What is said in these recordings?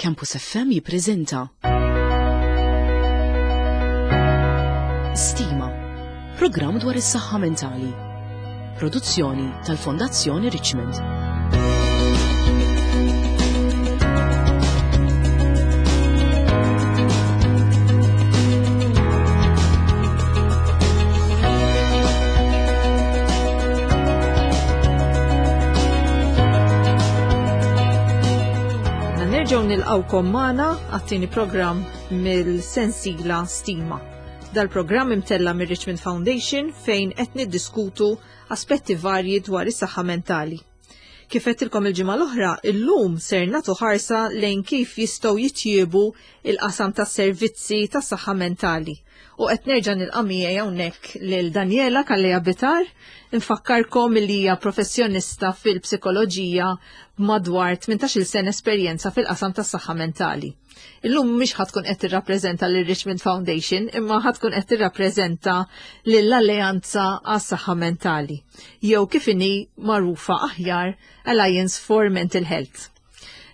Campus FM jippreżenta Stima, programm dwar is-saħħa mentali. Produzzjoni tal-Fondazzjoni Richmond. Nerġgħu nilqgħukom magħna għat-tieni programm mill-sensila Stima. Dal-programm imtella mir-Richmond Foundation fejn qed niddiskutu aspetti varji dwar is-saħħa mentali. Kif għedtilkom il-ġimgħa l-oħra, illum ser nagħtu ħarsa lejn kif jistgħu jitjiebu il-qasam tas-servizzi tas-saħħa mentali. U qed nerġa' nilqa' miegħi hawnhekk lil Daniela Kalleja Bitar, nfakkarkom li hija professjonista fil-psikoloġija b'madwar 18-il sena esperjenza fil-qasam tas-saħħa mentali. Illum mhix ħa tkun qed tirrappreżenta lil Richmond Foundation, imma ħa tkun qed tirrappreżenta lill-Alleanza għas-Saħħa Mentali, jew kif inhi magħrufa aħjar Alliance for Mental Health.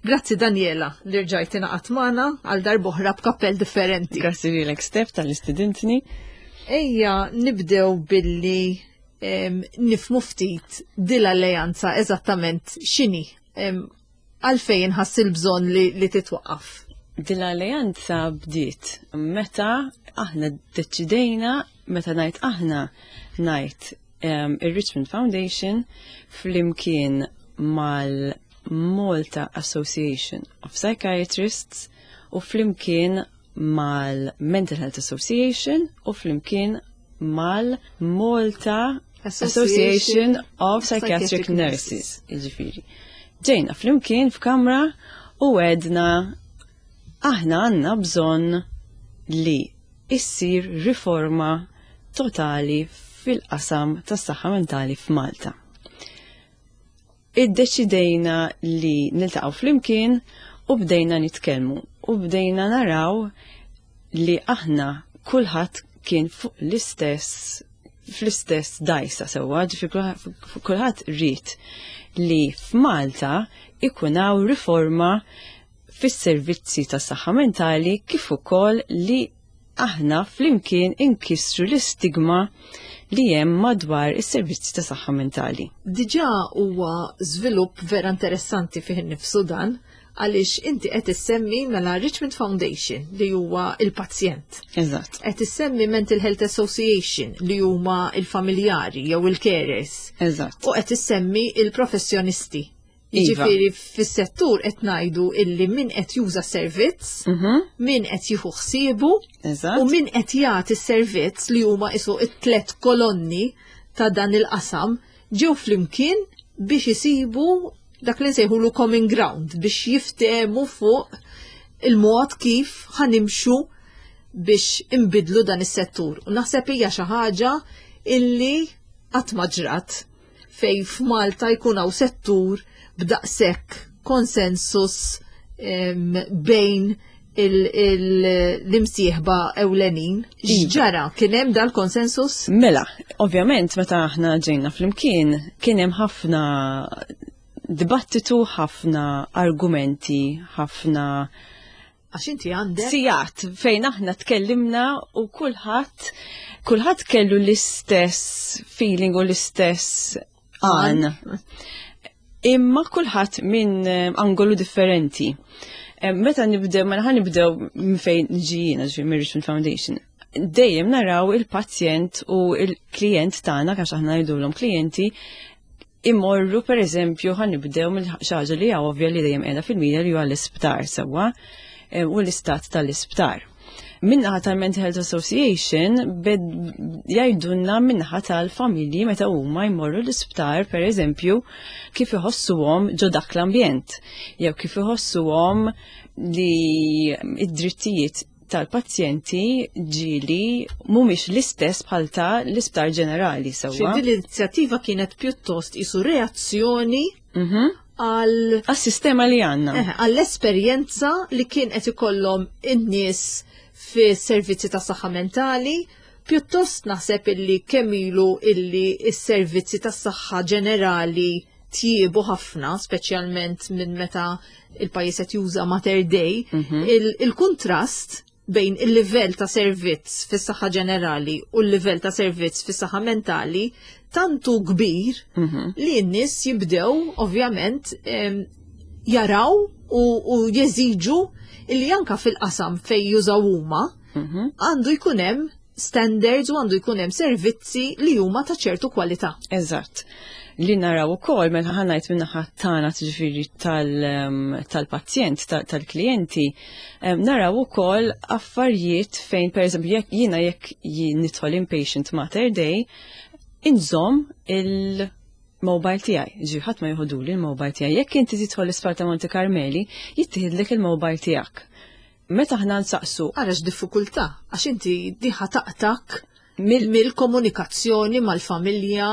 Grazzi Daniela li rġajt ingħaqadt magħna għal darb'oħra b'kappell differenti. Grazzi lilek Steph tal-istudentni. Ejja nibdew billi nifmu ftit dil-alleanza eżattament x'inhi. Għalfejn inħass il-bżonn li, li titwaqqaf? Din l-alleanza bdiet meta aħna deċidejna, meta ngħid aħna ngħid um, ir-Richmond Foundation flimkien mal-Malta Association of Psychiatrists u flimkien mal-Mental Health Association u flimkien mal-Malta Association of Psychiatric Nurses, jiġifieri. Ġejna flimkien f'kamra u għedna aħna għandna bżonn li issir riforma totali fil-qasam tas-saħħa mentali f'Malta. Iddeċidejna li niltaqgħu flimkien u bdejna nitkellmu u bdejna naraw li aħna kulħadd kien fuq l-istess fl-istess dajsa sewwa, ġifi kulħadd ried li f'Malta ikun hawn riforma fis-servizzi tas-saħħa mentali kif ukoll li aħna flimkien inkissru l-istigma li hemm madwar is-servizzi ta' saħħa mentali. Diġà huwa żvilupp vera interessanti fih innifsu dan għaliex inti qed issemmi mela Richmond Foundation li huwa il-pazjent. Eżatt. Qed issemmi Mental Health Association li huma il-familjari jew il-carers. Eżatt. U qed issemmi il-professjonisti. Iva. Jiġifieri fis-settur qed ngħidu illi min qed juża servizz, mhm. min qed jieħu ħsiebu u min qed jagħti servizz li huma isu it-tlet kolonni ta' dan il-qasam ġew flimkien biex isibu dak li nsejħulu common ground biex jiftehmu fuq il-mod kif ħanimxu biex imbidlu dan is-settur. U naħseb hija xi ħaġa illi qatt ma ġrat fejn f'Malta jkun hawn settur b'daqshekk konsensus bejn l-imsieħba ewlenin. Iva. X'ġara? Kien hemm dal-konsensus? Mela, ovvjament meta aħna ġejna flimkien kien hemm ħafna dibattitu, ħafna argumenti, ħafna Għax inti għandek. Sijat fejn aħna tkellimna u kulħadd kulħadd kellu l-istess feeling u l-istess għan. Imma kulħadd minn eh, angolu differenti. Eh, meta nibdew, mela ħan nibdew minn fejn ġijina ġi minn Richmond Foundation. Dejjem naraw il-pazjent u il-klient tagħna għax aħna ngħidulhom klijenti imorru per eżempju ħan nibdew mill xaġa li hija ovvja li dejjem qiegħda fil-media li huwa l-isptar sewwa eh, u l-istat tal-isptar. Minnaħa tal-Mental Health Association bed jgħidulna minnaħa tal-familji meta huma jmorru l-isptar per eżempju kif iħossuhom ġo dak l-ambjent jew kif iħossuhom li id-drittijiet tal-pazjenti ġili mhumiex l-istess bħal ta' l-isptar ġenerali sewwa. Din l-inizjattiva kienet pjuttost isu reazzjoni mhm. għal għas-sistema li għandna. Eh, għall-esperjenza li kien qed ikollhom in-nies fis-servizzi ta' saħħa mentali, pjuttost naħseb illi kemm ilu illi s-servizzi tas saħħa ġenerali tjiebu ħafna, speċjalment minn meta il-pajjiż qed juża Mater Dei, il-kuntrast bejn il-livell ta' servizz fis-saħħa ġenerali u l-livell ta' servizz fis-saħħa mentali tantu kbir li n-nies jibdew ovvjament jaraw u jeżiġu li anka fil-qasam fejn jużaw huma għandu jkun hemm standards u għandu jkun hemm servizzi li huma ta' ċertu kwalità. Eżatt. Li naraw ukoll mela ħa ngħid min-naħa tagħna, ġifieri tal-pazjent, tal-klijenti, naraw ukoll affarijiet fejn, pereżempju, jekk jiena jekk nidħol inpatient Mater Dei, inżomm il-mobile tiegħi. Ġifieri ħadd ma joħoduli il-mobile tiegħi. Jekk inti tidħol l-isptar ta' Monte Carmeli, jittieħidlek il-mobile tiegħek. Meta aħna nsaqsu. Ara x'diffikultà, għax inti diħa taqtak mill-komunikazzjoni mal-familja,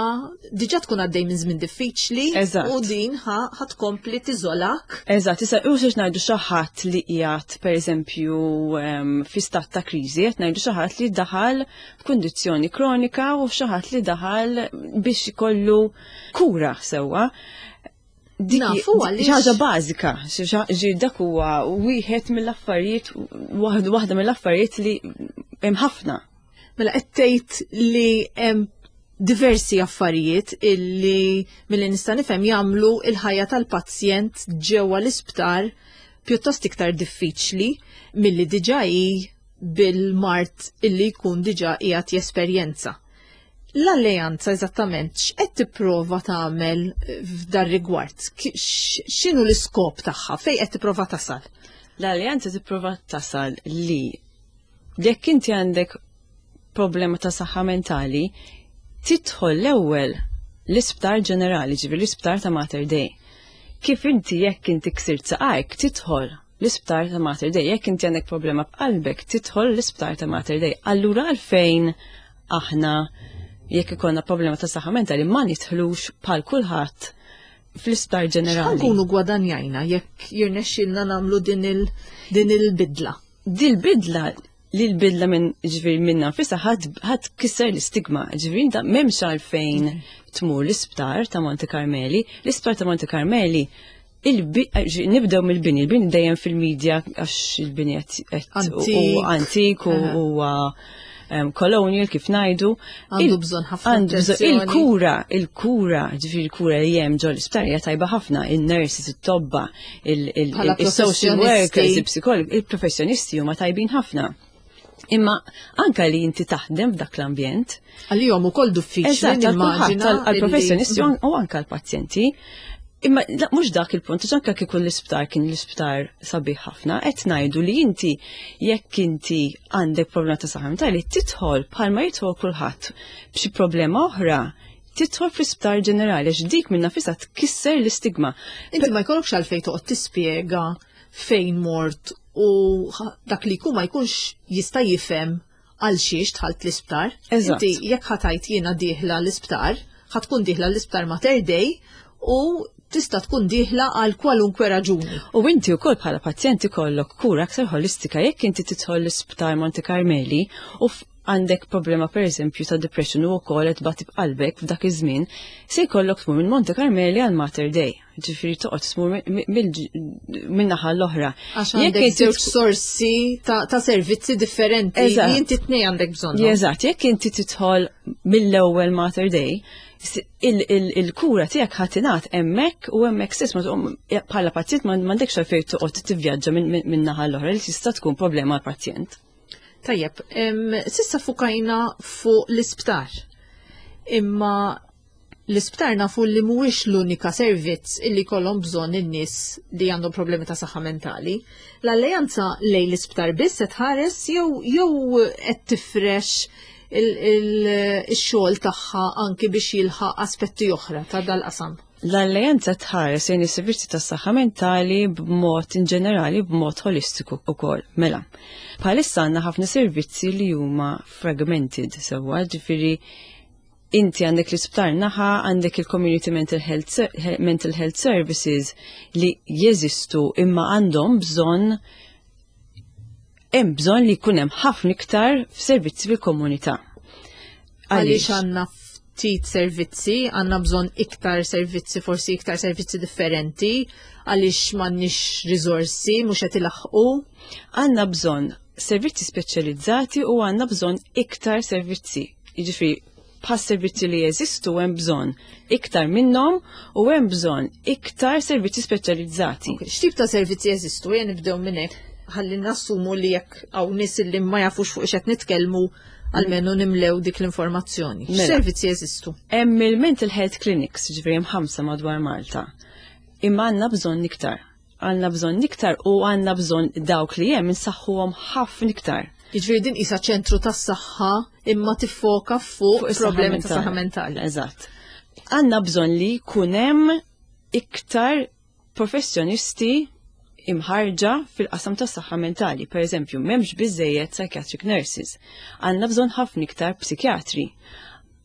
diġà tkun għaddej minn żmien diffiċli u din ħa tkompli tiżolak. Eżatt, issa u xiex ngħidu xi ħadd li qiegħed, pereżempju, fi stat ta' kriżi, qed ngħidu xi ħadd li daħal f'kundizzjoni kronika u xi ħadd li daħal biex ikollu kura sewwa. Dik Nafu għaliex. Xi ħaġa bażika, xi dak huwa wieħed mill-affarijiet, waħda mill-affarijiet li hemm ħafna. Mela qed tgħid li hemm diversi affarijiet illi milli nista' nifhem jagħmlu il-ħajja tal-pazjent ġewwa l-isptar pjuttost iktar diffiċli milli diġà hi bil-mard illi jkun diġà qiegħed jesperjenza. L-alleanza eżattament x'qed tipprova tagħmel f'dar rigward? X'inhu l-iskop tagħha? Fejn qed tipprova tasal? L-alleanza tipprova tasal li jekk inti għandek problema ta' saħħa mentali, tidħol l-ewwel l-isptar ġenerali, ġifieri l-isptar ta' Mater Dei. Kif inti jekk inti ksirt saqajk, tidħol l-isptar ta' Mater Dei. Jekk inti għandek problema b'qalbek, tidħol l-isptar ta' Mater Dei. Allura għalfejn aħna jekk ikollna problema ta' saħħa mentali ma nidħlux bħal kulħadd fl-isptar ġenerali? X'nkunu gwadanjajna jekk jirnexxilna nagħmlu din il-bidla? Din il-bidla li l-bidla minn ġifieri minna nfisha ħadd kisser l-istigma, ġifieri inta m'hemmx għalfejn tmur l-isptar ta' Monte Carmeli. L-isptar ta' Monte Carmeli nibdew mill-bini, il-bini dejjem fil-medja għax il-bini qed Antik. u antik u huwa colonial kif ngħidu. Għandu bżonn ħafna Għandu bżonn attenzjoni. il-kura, ġifieri il-kura li hemm ġol l-isptar hija tajba ħafna, il-nurses, it-tobba, Bħala il-social professjonisti. workers, il-psikologi, il-professjonisti huma tajbin ħafna. Imma anka li inti taħdem f'dak l-ambjent. Għalihom ukoll diffiċli Eżatt, għal kulħadd, nimmaġina għall-professjonisti u anka għall-pazjenti. Imma la, mhux dak il-punt, għax anka kieku l-isptar kien l-isptar sabiħ ħafna, qed ngħidu li inti jekk inti għandek problema ta' saħħa mentali tidħol bħalma jidħol kulħadd b'xi problema oħra, tidħol fl-isptar ġenerali għax dik minn nafisha tkisser l-istigma. Inti ma jkollokx għalfejn toqgħod tispjega fejn mort u dak li jkun ma jkunx jista' jifhem għal xiex dħalt l-isptar. Inti jekk ħa tgħid jiena dieħla l-isptar, ħa tkun dieħla l-isptar Mater Dei u tista' tkun dieħla għal kwalunkwe raġuni. U inti wkoll bħala pazjenti kollok kura aktar holistika jekk inti tidħol l-isptar Monte Carmeli u għandek problema per eżempju ta' depression u wkoll qed tbati b'qalbek f'dak iż-żmien, se jkollok tmur minn Monte Carmeli għal Mater Dei. Ġifieri toqgħod tmur minn naħa l-oħra. Għax Jekk għandek inti żewġ sorsi ta' servizzi differenti li inti tnej għandek bżonnhom. Eżatt, jekk inti tidħol mill-ewwel Mater Dei, il-kura tiegħek ħa tingħata hemmhekk u hemmhekk stess ma tqum bħala pazjent m'għandekx għalfejn toqgħod tivvjaġġa minn naħa l-oħra li tista' tkun problema għall-pazjent. Tajjeb, s'issa fukajna fuq l-isptar. Imma l-isptar nafu li mhuwiex l-unika servizz illi kollhom bżonn in-nies li għandhom problemi ta' saħħa mentali. L-alleanza lejn l-isptar biss qed tħares jew qed tifrex il-xogħol tagħha anki biex jilħaq aspetti oħra ta' dal-qasam? L-alleanza tħares lejn is-servizzi tas-saħħa mentali b'mod in ġenerali, b'mod holistiku wkoll. Mela, bħalissa għandna ħafna servizzi li huma fragmented sewwa, ġifieri inti għandek l-isptar naħa, għandek il-Community Mental Health Services li jeżistu imma għandhom bżonn, hemm bżonn li jkun hemm ħafna iktar f'servizzi fil-komunità. Għaliex għandna ftit servizzi, għandna bżonn iktar servizzi, forsi iktar servizzi differenti, għaliex m'għandniex riżorsi, mhux qed ilaħħqu. Għandna bżonn servizzi speċjalizzati u għandna bżonn iktar servizzi. Jiġifieri bħas servizzi li jeżistu hemm bżonn iktar minnhom u hemm bżonn iktar servizzi speċjalizzati. X'tip ta' servizzi jeżistu? Ejja nibdew minn hekk ħalli nassumu li jekk hawn nies li ma jafux fuq x'qed nitkellmu almenu nimlew dik l-informazzjoni. Mela. X'servizzi jeżistu? Hemm il-mental health clinics, ġifieri hemm ħamsa madwar Malta. Imma għandna bżonn iktar. Għandna bżonn iktar u għandna bżonn dawk li hemm insaħħuhom ħafna iktar. Jiġifieri din qisha ċentru tas-saħħa imma tiffoka fuq problemi ta' saħħa mentali. Eżatt. Għandna bżonn li jkun hemm iktar professjonisti imħarġa fil-qasam tas saħħa mentali. Per eżempju, m'hemmx biżejjed psychiatric nurses. Għandna bżonn ħafna iktar psikjatri.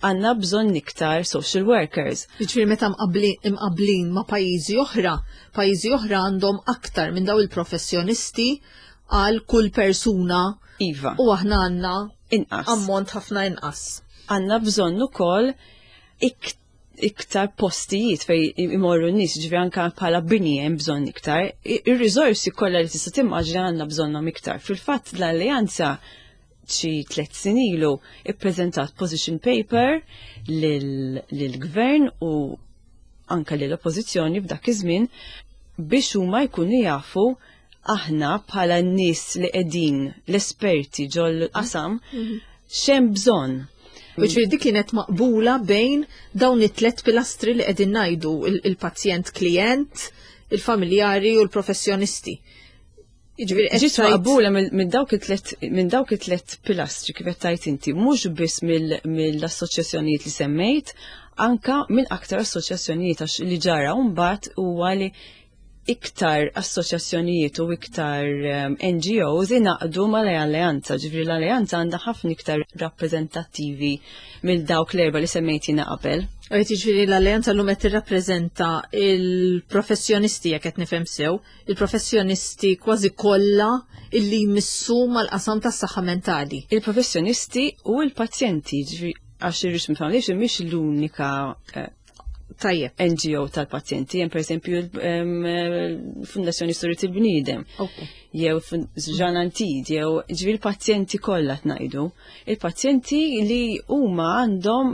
Għandna bżonn iktar social workers. Jiġifieri meta mqabblin ma' pajjiżi oħra, pajjiżi oħra għandhom aktar minn daw il-professjonisti għal kull persuna. Iva. U aħna għandna inqas. Ammont ħafna inqas. Għandna bżonn ukoll iktar postijiet fej imorru n-nies, ġifieri anka bħala bini hemm bżonn iktar. Ir-riżorsi kollha li tista' timmaġina għandna bżonnhom iktar. Fil-fatt l-Alleanza xi 3 snin ilu ippreżentat position paper lill-gvern u anka lill-oppożizzjoni f'dak iż-żmien biex huma jkunu jafu aħna bħala n-nies li qegħdin l-esperti ġol qasam x'hemm bżonn. Ġifieri dik kienet maqbula bejn dawn it-tlet pilastri li qegħdin ngħidu il-pazjent klient, il-familjari u l-professjonisti. Jiġifieri qed Ġiet maqbula minn dawk it-tlet minn dawk it-tlet pilastri kif qed tgħid inti, mhux biss mill-assoċjazzjonijiet li semmejt, anka minn aktar assoċjazzjonijiet għax li ġara mbagħad huwa li iktar assoċjazzjonijiet u iktar NGOs ingħaqdu mal-Alleanza, ġifieri l-Alleanza għandha ħafna iktar rappreżentattivi mill dawk l-erba' li semmejt jiena qabel. Għajt jiġifieri l-Alleanza llum qed tirrappreżenta il-professjonisti jekk qed nifhem sew, il-professjonisti kważi kollha illi jmissu mal-qasam tas-saħħa mentali. Il-professjonisti u l-pazjenti, ġifieri għax ir-Richmond Foundation mhix l-unika Tajjeb. NGO tal-pazjenti, hemm pereżempju l-Fundazzjoni Storja il-Bniedem, jew Jean Antid, jew ġifieri l-pazjenti kollha tnajdu. Il-pazjenti li huma għandhom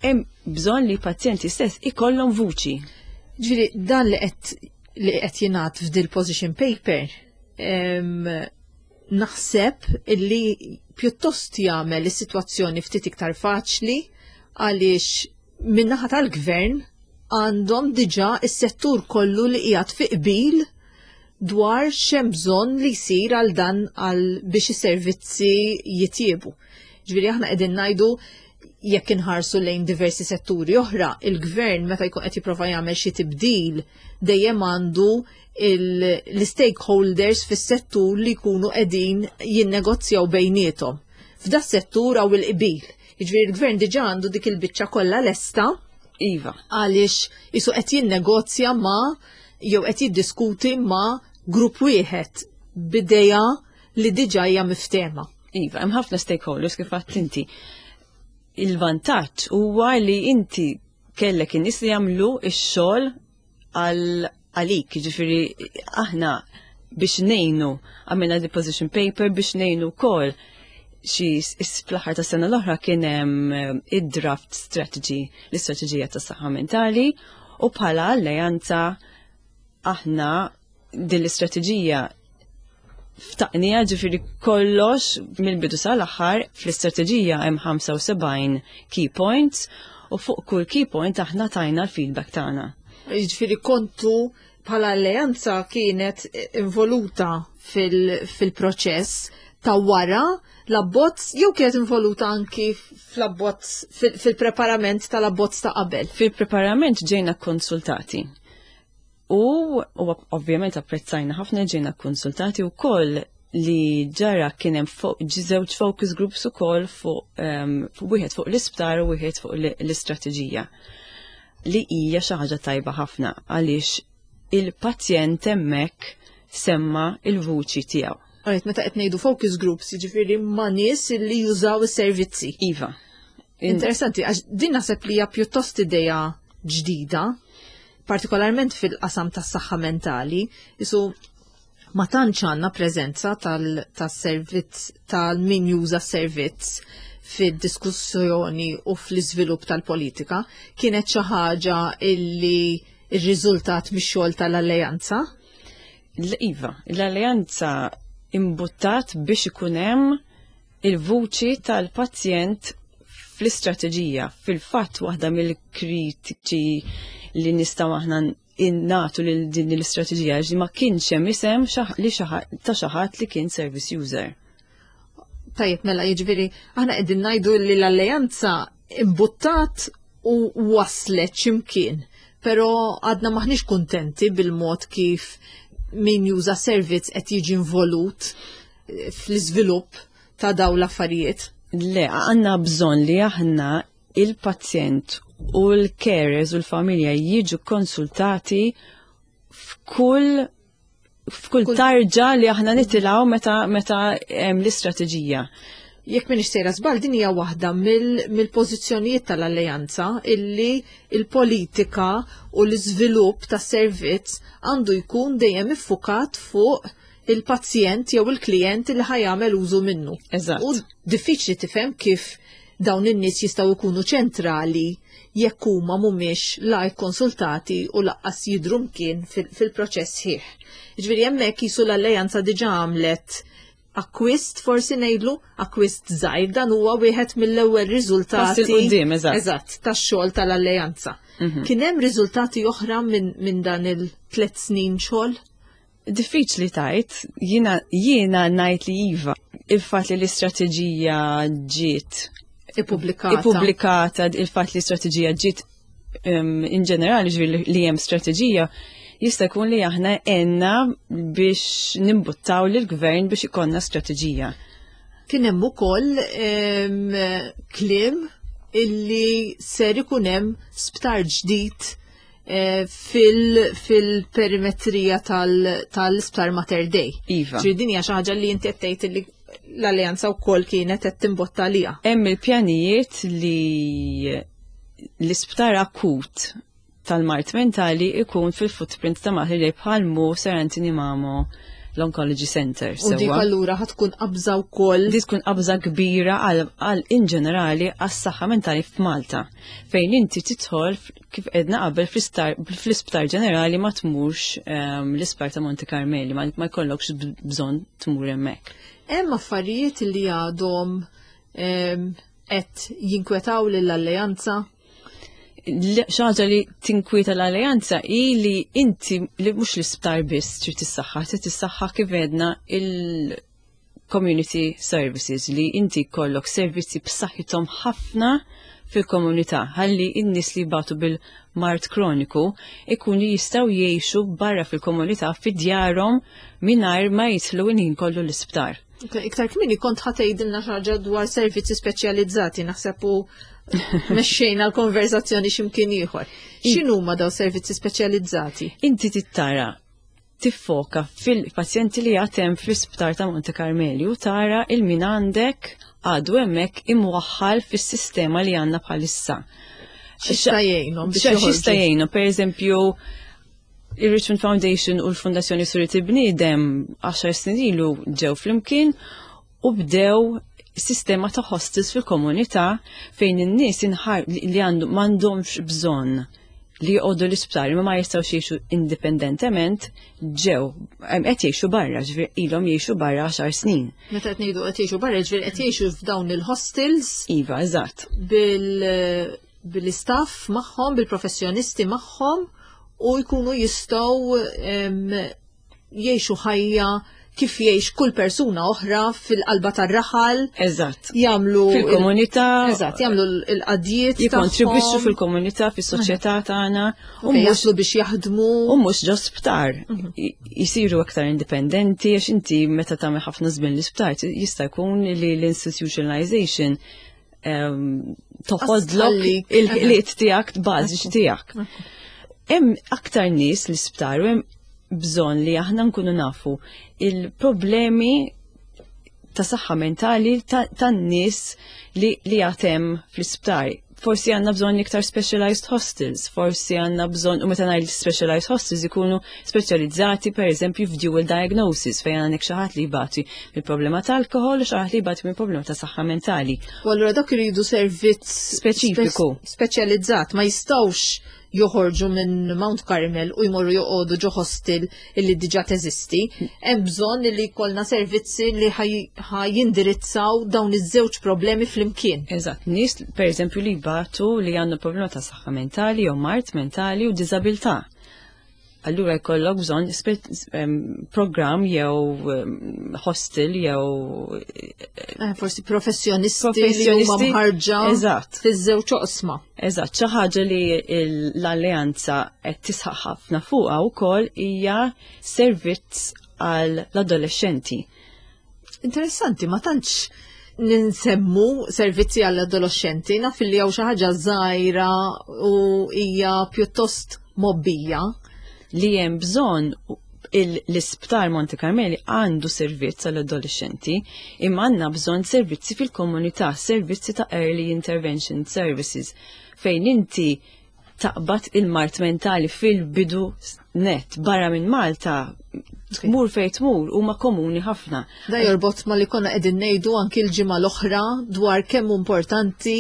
hemm bżonn li pazjenti stess ikollhom vuċi. Ġifieri dan li qed li qed jingħad f'dil position paper naħseb illi pjuttost jagħmel is-sitwazzjoni ftit iktar faċli għaliex min-naħa tal-gvern għandhom diġà is-settur kollu li qiegħed fi qbil dwar x'hemm bżonn li jsir għal dan għal biex is-servizzi jitjiebu. Ġifieri aħna qegħdin ngħidu jekk inħarsu lejn diversi setturi oħra, il-gvern meta jkun qed jipprova jagħmel xi tibdil dejjem għandu l-stakeholders fis-settur li jkunu qegħdin jinnegozjaw bejniethom. F'da settur hawn il-qbil. Jiġifieri l-gvern diġà għandu dik il-biċċa kollha lesta. Iva. Għaliex isu qed jinnegozja ma' jew qed jiddiskuti ma' grupp wieħed b'ideja li diġà hija miftehma. Iva, hemm ħafna stakeholders kif għedt inti. Il-vantaġġ huwa li inti kellek in-nies li jagħmlu x-xogħol għalik, ġifieri aħna biex ngħinu għamilna the position paper biex ngħinu wkoll xi fl-aħħar ta' sena l-oħra kien hemm id-draft strategy, l-istrateġija tas saħħa mentali u bħala alleanza aħna din l-istrateġija ftaqnija ġifieri kollox mill-bidu sal-aħħar fl-istrateġija hemm 75 key points u fuq kull key point aħna tajna l-feedback tagħna. Jiġifieri kontu bħala alleanza kienet involuta fil-proċess ta' wara l-abbozz jew kienet involuta anki fl-abbozz fil-preparament tal-abbozz ta' qabel? Fil-preparament ġejna konsultati. U ovvjament apprezzajna ħafna ġejna konsultati u koll li ġara kien hemm żewġ focus groups ukoll fuq wieħed fuq l-isptar u wieħed fuq l-istrateġija li hija xi ħaġa tajba ħafna għaliex il-pazjent hemmhekk semma il-vuċi tiegħu. Għalet, meta qed ngħidu focus groups, jiġifieri ma' nies li jużaw is-servizzi. Iva. Interessanti, għax din naħseb li hija pjuttost idea ġdida, partikolarment fil-qasam tas-saħħa mentali, isu ma tantx għandna preżenza tas-servizz tal-min juża s-servizz fid-diskussjoni u fl-iżvilupp tal-politika, kienet xi ħaġa illi rriżultat mix-xogħol tal-Alleanza? Iva, l-Alleanza imbuttat biex ikun hemm il-vuċi tal-pazjent fl-istrateġija. Fil-fatt waħda mill-kritiċi li nistgħu aħna innatu lil din l-istrateġija li ma kienx hemm isem li ta' xi ħadd li kien service user. Tajjeb, mela jiġifieri aħna qegħdin ngħidu li l-alleanza imbuttat u waslet x'imkien, però għadna maħniex kuntenti bil-mod kif min juża servizz qed jiġi involut eh, fl-iżvilupp ta' daw l-affarijiet. Le, għandna bżonn li aħna il-pazjent u l-carers u l-familja jiġu konsultati f'kull f'kull tarġa li aħna nitilgħu meta meta hemm l-istrateġija. Jekk m'iniex sejra żball din hija waħda mill-pożizzjonijiet tal-Alleanza illi il-politika u l-iżvilupp tas-servizz għandu jkun dejjem iffukat fuq il-pazjent jew il-klijent li ħa jagħmel użu minnu. Eżatt. U diffiċli tifhem kif dawn in-nies jistgħu jkunu ċentrali jekk huma mhumiex la kkonsultati u laqqas jidhru mkien fil-proċess sħiħ. Jiġifieri hemmhekk qisu l-alleanza diġà għamlet akkwist forsi ngħidlu akkwist żgħir dan huwa wieħed mill-ewwel riżultati. Pass 'il quddiem, eżatt. Eżatt, tax-xogħol tal-alleanza. Kien hemm riżultati oħra minn dan il-tliet snin xogħol? Diffiċli tajt, jiena jiena ngħid li iva. Il-fatt li l-istrateġija ġiet ippubblikata. Ippubblikata, il-fatt li l-istrateġija ġiet in ġenerali ġifieri li hemm strateġija, jista' jkun li aħna għenna biex nimbuttaw lill-gvern biex ikollna strateġija. Kien hemm ukoll kliem illi ser ikun hemm sptar ġdid Eh, fil-perimetrija tal-Isptar Mater Dei. Iva. Ġifieri din hija xi ħaġa li inti qed tgħid li l-alleanza wkoll kienet qed timbotta għaliha. Hemm il-pjanijiet li l-isptar akut tal-mard mentali ikun fil-footprint ta' Mater Dei bħal mu Sir Anthony Mamo l-Oncology Center. U dik allura ħa tkun qabża wkoll. Di tkun qabża kbira għal in ġenerali għas-saħħa mentali f'Malta, fejn inti tidħol kif edna qabel fl-isptar ġenerali ma tmurx ehm, l-isptar ta' Monte Carmeli, ma jkollokx bżonn tmur hemmhekk. Hemm affarijiet li għadhom ehm, qed jinkwetaw lill-alleanza? Xaġa li tinkwieta l-alleanza hi li inti li mhux l-isptar biss trid tissaħħa, trid tissaħħa kif edna il- community services li inti jkollok servizzi b'saħħithom ħafna fil-komunità ħalli n-nies li jbatu bil-mard kroniku ikunu jistgħu jgħixu barra fil-komunità fi djarhom mingħajr ma jidħlu il-ħin kollu l-isptar. Iktar kmieni kont ħa tgħidilna xi ħaġa dwar servizzi speċjalizzati naħseb u mexxejna l-konverzazzjoni x'imkien ieħor. X'inhuma daw servizzi speċjalizzati? Inti tittara tiffoka fil-pazjenti li għad hemm fl-isptar ta' Monte Carmeli u tara il min għandek għadu hemmhekk imwaħħal fis-sistema li għandna bħalissa. X'jista' jgħinhom biex X'jista' jgħinhom, pereżempju, il-Richmond Foundation u l-Fondazzjoni Surit il-Bniedem 10 snin ilu ġew flimkien u bdew sistema ta' hostels fil-komunità fejn in-nies li għandu m'għandhomx bżonn li joqogħdu l-isptar imma ma jistgħux jgħixu indipendentement ġew qed jgħixu barra, ġifier ilhom jgħixu barra għaxar snin. Meta qed ngħidu qed jgħixu barra, ġifier qed jgħixu f'dawn il-hostels. Iva, eżatt. Bil bil-istaff magħhom, bil-professjonisti magħhom u jkunu jistgħu jgħixu ħajja kif jgħix kull persuna oħra fil-qalba tar-raħal. Eżatt. Jagħmlu fil-komunità. Eżatt, jagħmlu l-qadjiet. Jikkontribwixxu fil-komunità, fis-soċjetà tagħna. U jaslu biex jaħdmu. U mhux ġo sptar. Jisiru aktar indipendenti għax inti meta tagħmel ħafna żmien l-isptar jista' jkun li l-institutionalization ehm, toħodlok il-ħiliet tiegħek bażiċi tiegħek. Hemm aktar nies l-isptar u hemm bżonn li aħna nkunu nafu il-problemi ta' saħħa mentali tan-nies li li għatem fl-isptar. Forsi għandna bżonn iktar specialized hostels, forsi għandna bżonn, u meta ngħid specialized hostels ikunu speċjalizzati per eżempju f'dual diagnosis fejn għandek xi ħadd li jbati minn problema ta' alkohol u xi ħadd li jbati minn problema ta' saħħa mentali. U allura dak iridu servizz speċifiku. Speċjalizzat, ma jistgħux joħorġu minn Mount Carmel u jmorru joqogħdu ġo hostel illi diġà teżisti. Hemm bżonn li jkollna servizzi li jindirizzaw dawn iż-żewġ problemi flimkien. Eżatt, nies pereżempju li jbatu li għandu problema ta' saħħa mentali jew mard mentali u diżabilità. Allura jkollok bżonn programm jew hostel jew eh, forsi professjonisti, professjonisti li huma mħarġa Eżatt. fiż-żewġ oqsma. Eżatt, xi ħaġa li l-alleanza qed tisħaq ħafna fuqha wkoll hija servizz għal l-adolescenti. Interessanti, ma tantx ninsemmu servizzi għall adolescenti naf li hawn xi ħaġa żgħira u hija pjuttost mobbija. Li hemm bżonn l-isptar Monte Carmeli għandu servizz għall adolescenti imma għandna bżonn servizzi fil-komunità, servizzi ta' early intervention services fejn inti taqbad il-mard mentali fil-bidu net barra minn Malta tmur fejn tmur huma komuni ħafna. Da jorbot ma li konna qegħdin ngħidu anki l-ġimgħa l-oħra dwar kemm importanti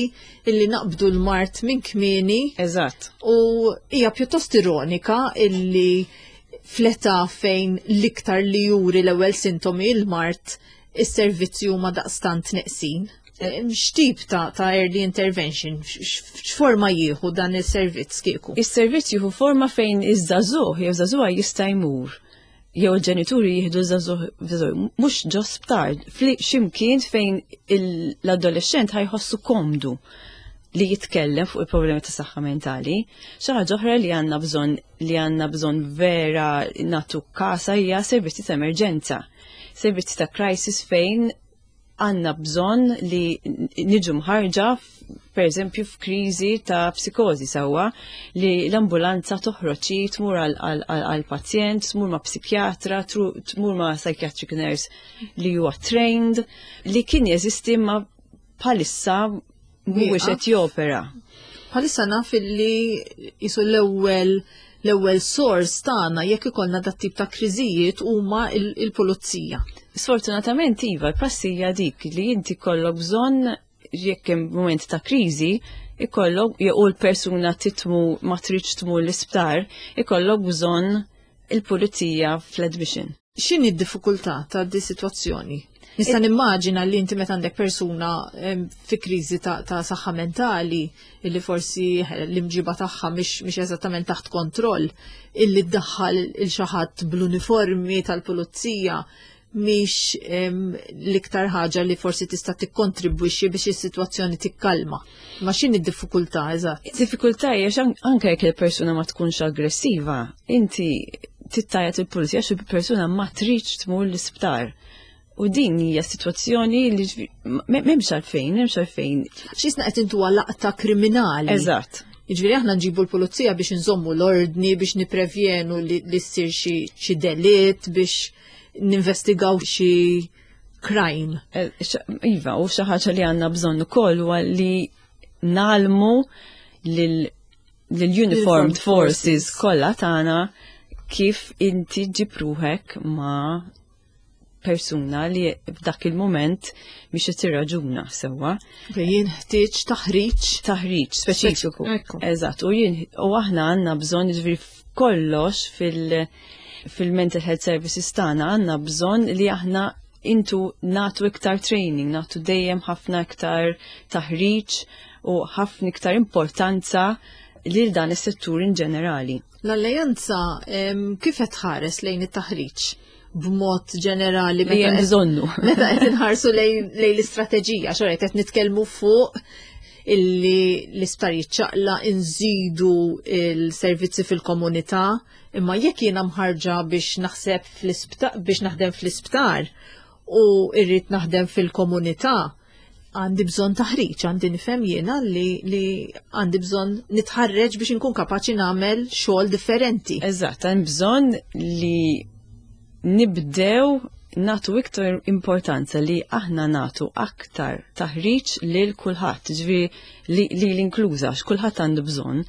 illi naqbdu l-mard minn kmieni. Eżatt. U hija pjuttost ironika illi fl-età fejn l-iktar li juri l-ewwel sintomi l-mard is-servizzi huma daqstant neqsin. X'tip ta', ta early intervention, x'forma jieħu dan is-servizz kieku? Is-servizz jieħu forma fejn iż-żagħżugħ jew żagħżugħa jista' jmur jew il-ġenituri jieħdu żagħżugħ mhux ġo sptar, x'imkien fejn l-adolescent ħa jħossu komdu li jitkellem fuq il-problemi ta' saħħa mentali. Xi ħaġa oħra li għandna bżonn li għandna bżonn vera nagħtu kasa hija servizzi ta' emerġenza. Servizzi ta' crisis fejn għandna bżonn li niġu mħarġa per eżempju f'kriżi ta' psikozi sewwa li l-ambulanza toħroġ tmur għal-pazjent, tmur ma' psikjatra, tmur ma' psychiatric nurse li huwa trained, li kien jeżisti ma bħalissa mhuwiex qed jopera. Bħalissa naf li jisu l-ewwel l-ewwel source tagħna jekk ikollna dat tip ta' kriżijiet huma il-pulizija. Sfortunatament iva, l-prassi hija dik li inti kollok bżonn jekk hemm moment ta' kriżi, ikollok jew l-persuna titmu ma tridx tmur l-isptar, ikollok bżonn il-pulizija fl-admission. X'inhi d-diffikultà ta' di sitwazzjoni? Nista' nimmaġina li inti meta għandek persuna fi kriżi ta', ta saħħa mentali illi forsi l-imġiba tagħha mhix eżattament taħt kontroll, illi ddaħħal il xi ħadd bl-uniformi tal-pulizija mhix l-iktar ħaġa li forsi tista' tikkontribwixxi biex is-sitwazzjoni tikkalma. Ma x'inhi d-diffikultà eżatt? Id-diffikultà hija anke jekk il-persuna ma tkunx aggressiva, inti tittajat il-pulizija xi persuna ma tridx tmur l-isptar. U din hija sitwazzjoni li m'hemmx għalfejn, m'hemmx għalfejn. X'isna qed intuha laqta kriminali. Eżatt. Jiġifieri aħna nġibu l-pulizija biex nżommu l-ordni, biex niprevjenu li ssir xi delitt, biex ninvestigaw xi crime. Eh, iva, u xi ħaġa li għandna bżonn ukoll huwa li nalmu lil-uniformed forces kollha tagħna kif inti ġib ruħek ma' persuna li f'dak il-moment biex qed tirraġuna sewwa. Jien ħtieġ taħriġ. Taħriġ speċifiku. Eżatt, u jien u aħna għandna bżonn jiġifieri f'kollox fil- fil-mental health services tagħna għandna bżonn li aħna intu natu iktar training, natu dejjem ħafna iktar taħriġ u ħafna iktar importanza lil dan is-settur in ġenerali. L-alleanza kif qed tħares lejn it-taħriġ b'mod ġenerali Li hemm bżonnu. Meta qed inħarsu lejn l-istrateġija, xorta qed nitkellmu fuq illi l-isptar jiċċaqla inżidu il-servizzi fil-komunità, imma jekk jiena mħarġa biex naħseb fl-isptar biex naħdem fl-isptar u irrid naħdem fil-komunità, għandi bżonn taħriġ, għandi nifhem jiena li, li għandi bżonn nitħarreġ biex inkun kapaċi nagħmel xogħol differenti. Eżatt, hemm bżonn li nibdew natu iktar importanza li aħna natu aktar taħriġ lil kulħadd, ġifieri li l-inkluża, kulħadd għandu bżonn.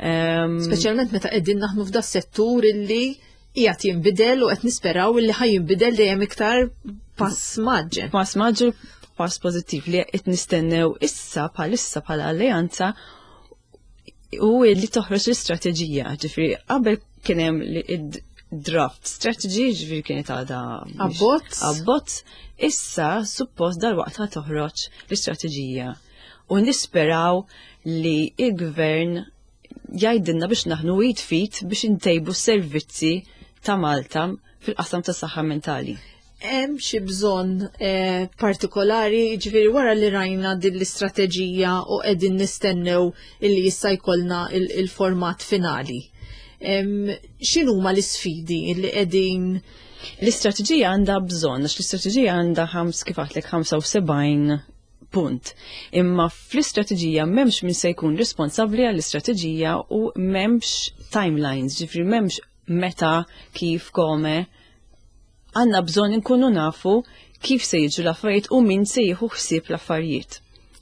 Um, Speċjalment meta qegħdin naħdmu f'da settur illi qiegħed jinbidel u qed nisperaw illi ħaj jinbidel dejjem iktar pass maġġel. Pass maġġel, pass pożittiv li qed nistennew issa bħalissa bħala alleanza u li toħroġ l-istrateġija, ġifieri qabel kien hemm draft strategy, ġifieri kienet għadha abbozz. Abbozz, issa suppost dal-waqt ħa toħroġ l-istrateġija. U nisperaw li il-gvern jgħidilna biex naħnu id fit biex intejbu s-servizzi ta' Malta fil-qasam ta' saħħa mentali. Hemm xi bżonn eh, partikolari, ġifieri wara li rajna din l-istrateġija u qegħdin nistennew illi jista' jkollna il-format finali. X'inhuma l-isfidi li qegħdin L-istrateġija għandha bżonn, għax l-istrateġija għandha ħams kif għatlek 75 punt. Imma fl-istrateġija m'hemmx min se jkun responsabbli għall-istrateġija u m'hemmx timelines, ġifri m'hemmx meta, kif, kome. Għandna bżonn inkunu nafu kif se jiġu l-affarijiet u min se jieħu ħsieb l-affarijiet.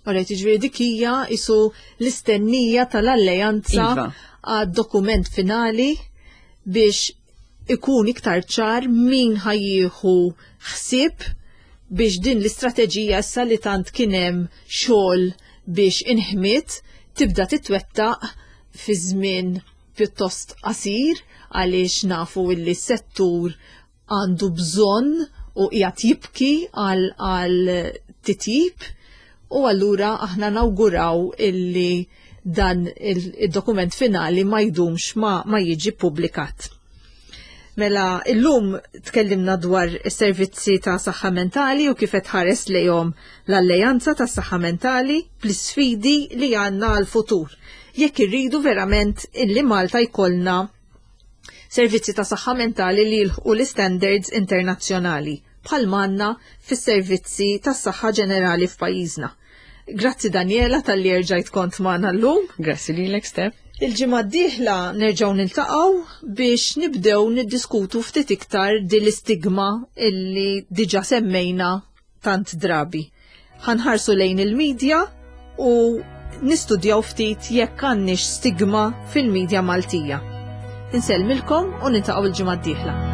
Alright, jiġifieri dik hija isu l-istennija tal-alleanza iva. għad-dokument finali biex ikun iktar ċar min ħajjieħu ħsieb biex din l-istrateġija issa li tant kien hemm xogħol biex inħmiet tibda titwettaq fi żmien pjuttost qasir għaliex nafu illi s-settur għandu bżonn u qiegħed jibki għal għal titjib u allura aħna nawguraw illi dan il-dokument finali ma jdumx ma, ma jiġi publikat. Mela, illum tkellimna dwar is-servizzi ta' saħħa mentali u kif qed ħares lejhom l-Alleanza ta' Saħħa Mentali bl-isfidi li għandna għal-futur. Jekk irridu verament illi Malta jkollna servizzi ta' saħħa mentali li jilħqu l-istandards internazzjonali bħal manna fis-servizzi tas-saħħa ġenerali f'pajjiżna. Grazzi Daniela tal-li erġajt kont magħna llum. Grazzi lilek Steph. Il-ġimgħa d-dieħla nerġgħu niltaqgħu biex nibdew niddiskutu ftit iktar din l-istigma illi diġà semmejna tant drabi. Ħanħarsu lejn il-medja u nistudjaw ftit jekk għandniex stigma fil-medja Maltija. Insellmilkom u niltaqgħu l-ġimgħa d-dieħla.